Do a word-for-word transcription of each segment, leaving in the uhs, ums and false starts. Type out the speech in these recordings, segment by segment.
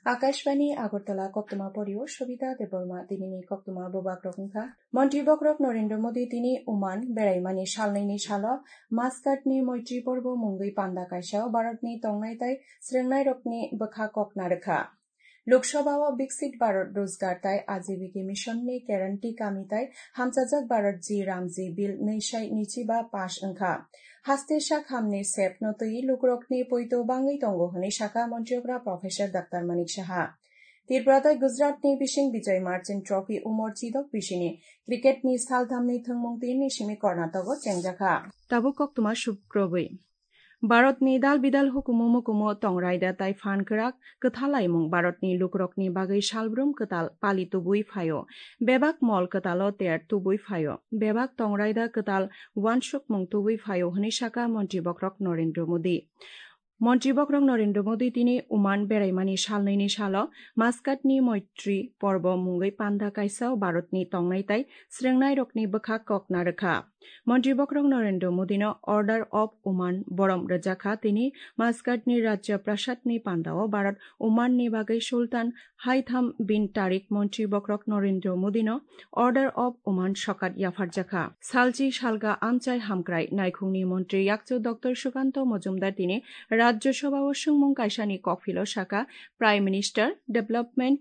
Akashbani Agartala, koktwma porio Sobita Debbarma. Tinini koktwma bubagrok wngkha: Montri bokrok Narendra Modi tini Oman beraimani salnwini salo Muscat ni Moitri Porbo mungwi panda kaisao Bharatni tongnai tai srwngnairokni bwkha kok narwkha. Lok Sabha o Viksit Bharat Rozgar tai Ajibika Mission ni guarantee kami tai hamchajak Bharat G Ramji Bill nwi sai nwichiba pass wngkha. Haste sak hamni sep no twi lukurokni poito bangwi tongo hwnwi sakha Montri okra Professor Doctor Manik Saha. Tripura tai Gujarat ni bising Bijoy Merchant Trophy umor chidok bisini cricket ni salthamni thwngmung tinini simi Karnataka o chengjakha. Tabuk koktwma sukrobwi. Bharatni dal bidal hukumu mukumu tongrai da tai phan kwrak kwthalaimung Bharatni lukurokni bagwi salbrum kwtal pali tubui phaio. Bebak mol kwtalo ter tubui phaio. Bebak tongrai da kwtal uansukmung tubui phaio hwnwi sakha Montri bokrok Narendra Modi. Montri bokrok Narendra Modi tini Oman beraimani salnwini salo Muscat ni Moitri Porbo mungwi panda kaisao Bharatni tongnai tai srwngnairokni bwkha kok narwkha. Montri bokrok Narendra Modino Order of Oman borom rwjakha, tini Muscat ni Rajya Prasad ni pandao Bharat Oman ni bagwi Sultan Haitham bin Tariq Montri bokrok Narendra Modino Order of Oman sokat yapharjakha. Salchi salga amchai hamkrai naikhungni montri yakchu Doctor Sukanta Majumdar tini Rajya Sabha o swngmung kaisani kokphilo sakha, Prime Minister Development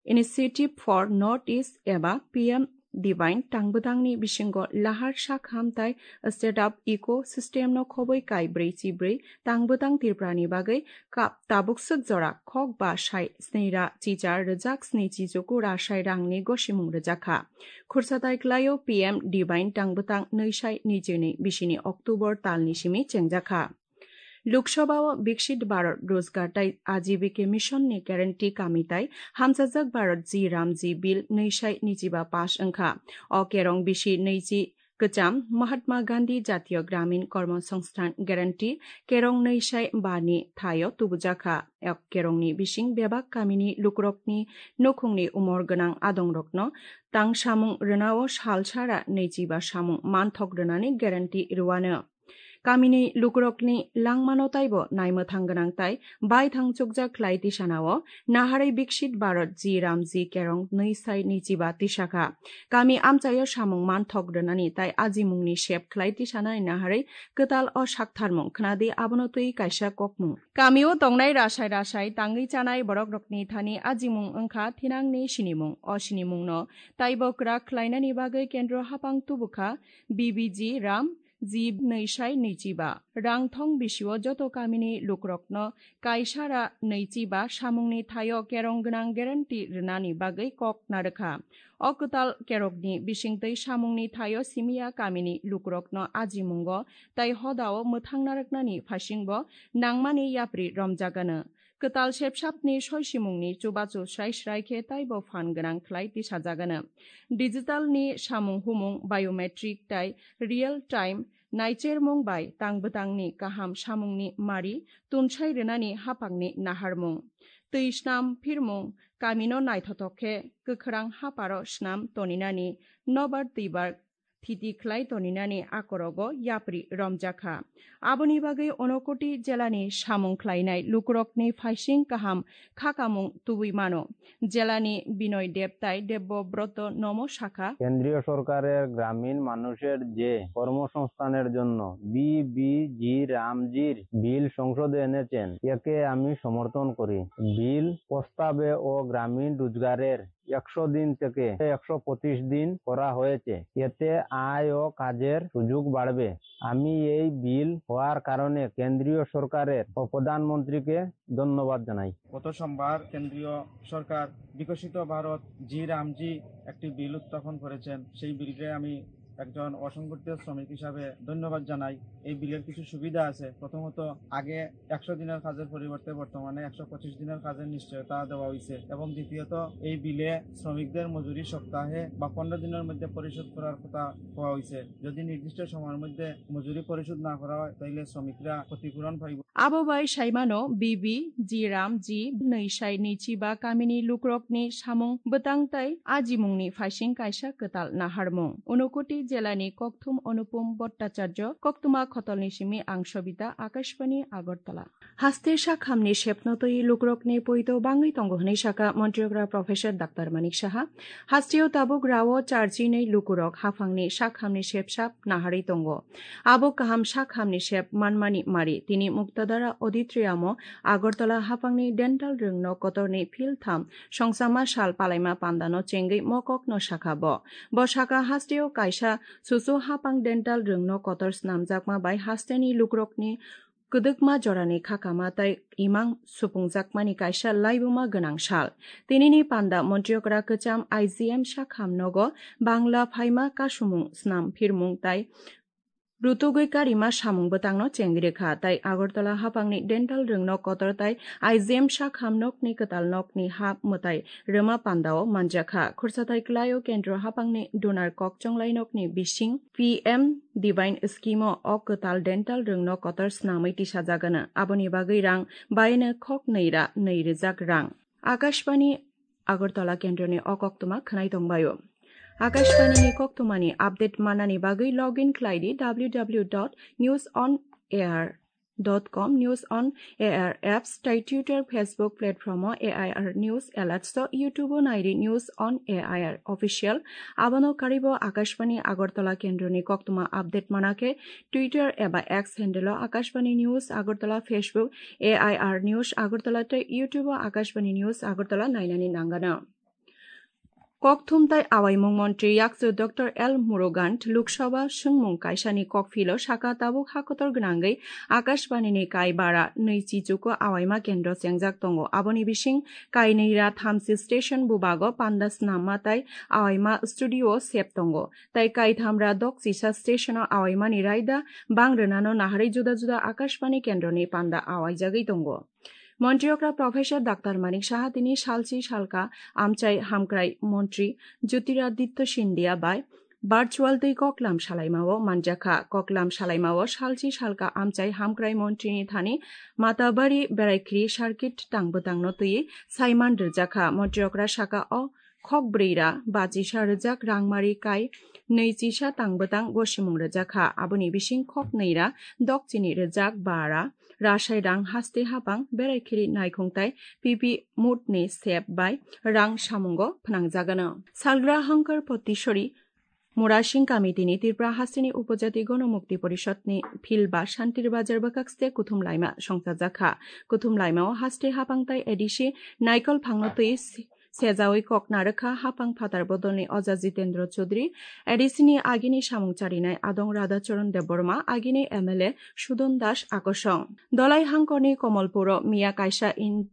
Initiative for North East eba P M Divine tangbwtangni bisingo lahar sak hamtai state of ecosystem no khoboi kai brwi chibrwi tangbwtang Tripura ni bagwi kap tabuk swk jora khok ba sai sni ra chichar rwjak sni chichuku ra sai rangni gosimung rwjakha. Khursa tai klaio P M Divine tangbwtang nwi sai nwi chini bisini October talni simi chengjakha. Lok Sabha o Viksit Bharat Rozgar tai Ajibika Mission ni guarantee kami tai hamchajak Bharat G Ramji Bill nwi sai nwichiba pass wngkha. O kerong bisi nwichi kwcham Mahatma Gandhi Jatiyo Gramin Kormo Songsthan Guarantee kerong nwi sai ba ni thaio tubujakha. O kerongni bising bebak kamini lukurokni nukhungni umor gwnang adongrokno tang samung rwnao sal sara nwichiba samung manthok rwnani guarantee rwano. Kamini lukurokni langmano taibo naimwthang gwnang tai baithang chukjak khlai tisanao naharwi Viksit Bharat G Ramji kerong nwi sai nwichiba tisakha. Kami amchaio samung manthok rwnani tai ajimungni sep khlai tisanani naharwi kwtal o saktharmung khnadi abono twi kaisa kokmung. Kamio tongnai rasai rasai tangwi chanai borokrokni thani ajimung wngkha thinangni sinimung. O sinimungno taibo kwrak khlainani bagwi kendro hapang tubukha B B G Ram G nwi sai nwichiba. Rang thong bisio joto kamini lukurokno kaisara nwichiba samungni thaio kerong gwnang guarantee rwnani bagwi kok narwkha. O kwtal kerokni bisingtwi samungni thaio simiya kamini lukurokno ajimungo tai hodao mwthang narwknani phaisingbo nangmani yapri romjagano. Kwtal sepsapni soisimungni chubachu srai srai khe taibo phan gwnang khlai tisajagano. Digital ni samung humung biometric tai real time naichermung bai tangbwtangni kaham samungni mari tunsai rwnani hapangni naharmung. Twi snam phirmung kamino naithothok khe kwkhwrang haparo snam toninani nobar twibar thiti khlai toninani akorogo yapri romjakha. Aboni bagwi Unakoti jelani samung khlainai lukurokni phaising kaham khakamung tubui mano. Jelani Binoy Deb tai Debbo Broto nomo sakha. কেন্দ্রীয় সরকারের গ্রামীণ মানুষের যে কর্মসংস্থানের জন্য বিবিজি রামজির বিল সংসদে এনেছেন, একে আমি সমর্থন করি। বিল প্রস্তাবে ও গ্রামীণ রোজগারের একশো দিন থেকে একশো পঁচিশ দিন করা হয়েছে। এতে আয় ও কাজের সুযোগ বাড়বে। আমি এই বিল হওয়ার কারণে কেন্দ্রীয় সরকারের ও প্রধানমন্ত্রীকে ধন্যবাদ জানাই। গত সোমবার কেন্দ্রীয় সরকার বিকশিত ভারত জি রামজি একটি বিল উত্থাপন করেছেন। সেই বিলকে আমি একজন অসংগঠিত শ্রমিক হিসাবে ধন্যবাদ জানাই। এই বিলের কিছু সুবিধা আছে। প্রথমত, আগে একশো দিনের কাজের পরিবর্তে বর্তমানে একশো পঁচিশ দিনের কাজের নিশ্চয়তা দেওয়া হয়েছে এবং দ্বিতীয়ত, এই বিলে শ্রমিকদের মজুরি সপ্তাহে বা পনেরো দিনের মধ্যে পরিশোধ করার কথা কওয়া হয়েছে। যদি নির্দিষ্ট সময়ের মধ্যে মজুরি পরিশোধ না করা হয়, তাহলে শ্রমিকরা ক্ষতিপূরণ পাইব। Abo bai saimano B B G Ram G nwi sai nwi chiba kamini lukrokni samung bwtang tai ajimungni phaising kaisa kwtal naharmung. Unakoti jelani kokthum Anupam Bhattacharya, koktwma khotolni simi ang Sobita, Akashbani Agartala. Haste sakhamni sepno twi lukrokni poito bangwi tongo hwnwi saka Montri okra Professor Doctor Manik Saha. Hasteo tabuk rao charchinwi lukurok haphangni sakhamni sepsap naharwi tongo. Abo kaham sakhamni sep manmani mari. Tini Muktadara Auditorium-o Agartala haphangni dental rwngno kotorni philtham songsama sal palaima pandano chengwi mokokno sakha bo. Bo saka hasteo kaisa susu haphang dental rwngno kotor snamjakma bai hasteni lukrokni kwdwkma jorani khakama tai imang supungjakmani kaisa laibuma gwnang sal. Tinini panda Montri okra kwcham I G M sakhamnogo Bangla phaima kasumung snam phirmung tai rutugwi karima samung bwtangno chengwi rwkha, tai Agartala haphangni dental rwngno kotor tai I G M sakham nokni kwtal nokni ha mwtai rwma pandao manjakha. Khursathai kwlaio kendro haphangni donor kok chonglai nokni bising P M Divine Scheme-o o kwtal dental rwngno kotor snamwi tisajagano. Aboni bagwi rang baino khok nwi ra nwi rwjak rang. Akashbani Agartala kendroni o koktwma khwnai tongbaio. Akashbani ni koktwmani update manani bagwi login khlai di W W W dot news on air dot com, News on A I R apps, tai Twitter, Facebook platform-o A I R News Alerts-o, YouTube-o nairi News on A I R Official. Abono karibo Akashbani Agartala kendroni koktwma update mana khe Twitter eba X handle-o Akashbani News Agartala, Facebook A I R News Agartala tei YouTube-o Akashbani News Agartala nainani nangano. Kokthum tai awaimung montri yakchu Doctor L Murugan Lok Sabha swngmung kaisani kokphilo saka tabuk hakotor gwnangwi Akashbani ni kai bara nwi chichuko awaima kendro chengjak tongo. Aboni bising kainwi ra thamchi station bubago panda snamma tai awaima studio sep tongo. Tai kaitham ra dokchisa station o awaimani raida bang rwnano naharwi juda juda Akashbani kendroni panda awaijagwi tongo. Montri okra Professor Doctor Manik Saha tini salchi salka amchai hamkrai montri Jyotiraditya Scindia bai virtual twi koklam salaimao manjakha. Koklam salaimao salchi salka amchai hamkrai montrini thani Matabari Beraikhiri circuit tang bwtangno twi saiman rwjakha. Montri okra saka o khok brwi ra bachisa rwjak rangmari kai nwi chisa tang bwtang gosimung rwjakha. Aboni bising khok nwi ra dokchini rwjak ba ra rasai rang haste hapang Beraikhiri naikhung tai P P mut ni sep bai rang samungo phnangjagano. Salgra Hankar Potisori Murasing Committee ni Tripura hasteni Upojati Gonomukti Porishod ni phil ba Shantir Bazar bwkhakste kuthum laima songchajakha. Kuthum laimao haste hapang tai A D C naikol phangno twi se-, sejawi kok narwkha haphang phatar bodolni Oja Jitendra Chaudhary, A D C ni agini samung charinai Adong Radhacharan Debbarma, agini M L A Sudon Das Akosong. Dolai hangkorni Komolpuro miya kaisa in-,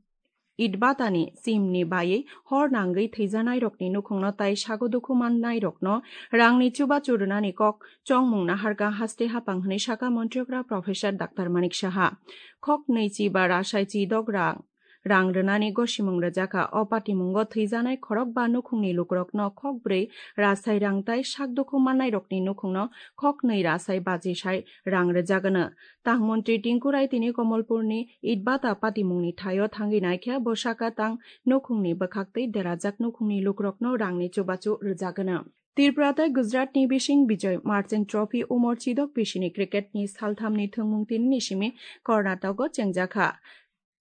itbatani chimni baiwi hor nangwi thwijanairokni nukhungno tai sago dukhu mannairokno rangni chubachu rwnani kok chongmung naharkha haste hapang hwnwi saka Montri okra Professor Doctor Manik Saha. Khok nwi chi ba rasai chi dok rang rang rwnani gosimung rwjakha. O patimungo thwijanai khorok ba nukhungni lukurokno khok brwi rasai rang tai sak dukhu mannairokni nukhungno khok nwi rasai bachisai rang rwjagano. Tang montri Tinku Rai tini Komolpurni Itbata patimungni thaio thangwi naikhe bo saka tang nukhungni bwkhaktwi derajak nukhungni lukurokno rangni chubachu rwjagano. Tripura tei Gujaratni bising Bijoy Merchant Trophy umor chidok bisini cricketni salthamni thwngmung tinini simi Karnatako chengjakha.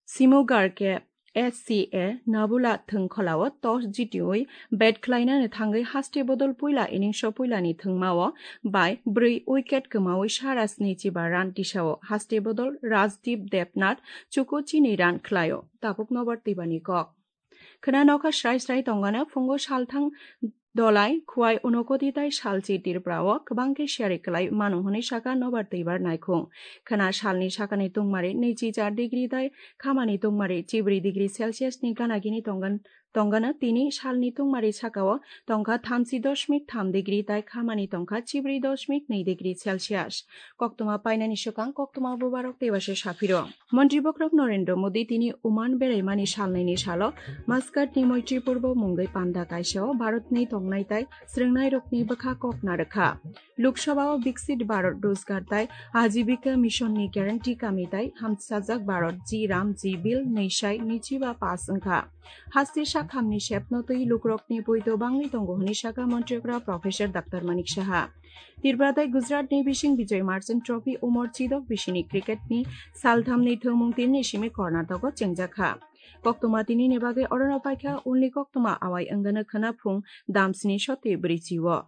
Simugar khe S C A Nabula thwngkholao toss jitiwi bat khlainani thangwi haste bodol puila innings-o puilani thwngmao bai brwi wicket kwmawi sara sni chiba run tisao. Haste bodol Rajdeep Debnath chuku chini run khlaio. Tabuk nobar twibani kok. Khwna nokha srai srai tongano phungo salthang Dolai, Khwai, Unokoti tai salchi Tripura o kwbang khe siyari kwlai mano hwnwi saka nobar twibar naikhung. Khwna salni sakani tungmari nwichi char degree tai khamani tungmari chibri degree Celsius ni gana gini tonggan Tongana tini salni tungmari sakao tongkha thamchi dosmik tham degree tai khamani tongkha chibri dosmik nwi degree Celsius. Koktwma painani swkang koktwma bubarok tei basa saphiro. Montri bokrok Narendra Modi tini Oman beraimani salnwini salo Muscat ni Moitri Purbo mungwi panda kaisao Bharat ni tongnai tai srwngnairokni bwkha kok narwkha. Lok Sabha o Viksit Bharat Rozgar tai Ajibika Mission ni guarantee kami tai hamsajak Bharat G Ram G Bill nwi sai nwichiba pass wngkha. Haste sakhamni sepno twi lukrokni poito bangwi tongo hwnwi sakha Montri okra Professor Doctor Manik Saha. Tripura tai Gujarat ni bising Bijoy Merchant Trophy umor chidok bisini cricket ni salthamni thwngmung tinini simi Karnataka chengjakha. Koktwma tinini bagwi orono paikha, only koktwma awai wngano khwna phung damsni soti bwrwi chiwo.